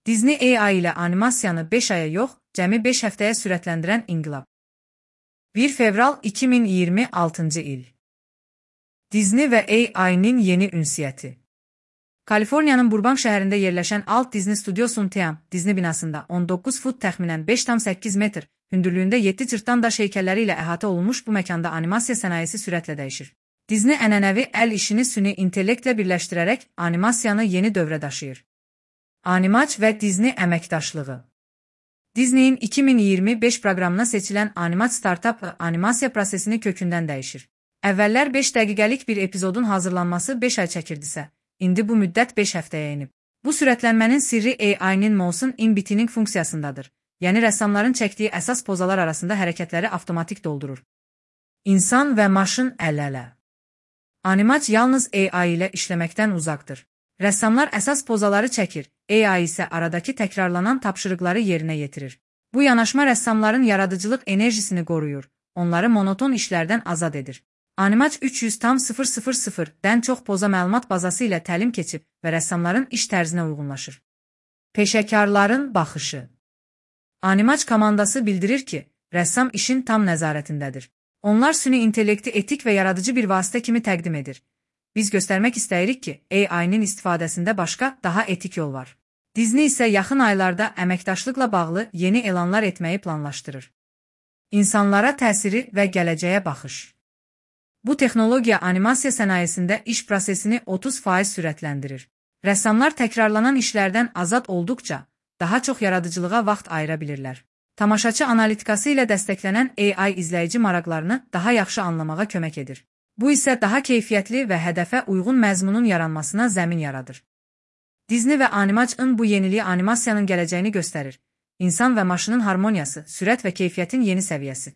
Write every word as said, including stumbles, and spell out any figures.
Disney A I ilə animasiyanı beş aya yox, cəmi beş həftəyə sürətləndirən inqilab. bir fevral iki min iyirmi altıncı il. Disney və A I-nin yeni ünsiyyəti. Kaliforniyanın Burbank şəhərində yerləşən Alt Disney Studiosun T M Disney binasında on doqquz fut təxminən beş tam səkkiz metr, hündürlüyündə yeddi cırtdan daş heykəlləri ilə əhatə olunmuş bu məkanda animasiya sənayesi sürətlə dəyişir. Disney ənənəvi əl işini süni intellektlə birləşdirərək animasiyanı yeni dövrə daşıyır. Animaç və Disney əməkdaşlığı. Disney'in iki min iyirmi beş proqramına seçilən Animaç startup animasiya prosesini kökündən dəyişir. Əvvəllər beş dəqiqəlik bir epizodun hazırlanması beş ay çəkirdisə, indi bu müddət beş həftəyə enib. Bu sürətlənmənin sirri A I-nin Motion in Between funksiyasındadır. Yəni rəssamların çəkdiyi əsas pozalar arasında hərəkətləri avtomatik doldurur. İnsan və maşın əl-ələ. Animaç yalnız A I ilə işləməkdən uzaqdır. Rəssamlar əsas pozaları çəkir, A I isə aradakı təkrarlanan tapşırıqları yerinə yetirir. Bu yanaşma rəssamların yaradıcılıq enerjisini qoruyur, onları monoton işlərdən azad edir. Animaç üç yüz tam sıfır sıfır sıfırdən çox poza məlumat bazası ilə təlim keçib və rəssamların iş tərzinə uyğunlaşır. Peşəkarların baxışı. Animaç komandası bildirir ki, rəssam işin tam nəzarətindədir. Onlar süni intellekti etik və yaradıcı bir vasitə kimi təqdim edir. Biz göstərmək istəyirik ki, A I-nin istifadəsində başqa, daha etik yol var. Disney isə yaxın aylarda əməkdaşlıqla bağlı yeni elanlar etməyi planlaşdırır. İnsanlara təsiri və gələcəyə baxış. Bu texnologiya animasiya sənayesində iş prosesini otuz faiz sürətləndirir. Rəssamlar təkrarlanan işlərdən azad olduqca, daha çox yaradıcılığa vaxt ayıra bilirlər. Tamaşaçı analitikası ilə dəstəklənən A I izləyici maraqlarını daha yaxşı anlamağa kömək edir. Bu isə daha keyfiyyətli və hədəfə uyğun məzmunun yaranmasına zəmin yaradır. Disney və Animaçın bu yeniliyi animasiyanın gələcəyini göstərir. İnsan və maşının harmoniyası, sürət və keyfiyyətin yeni səviyyəsi.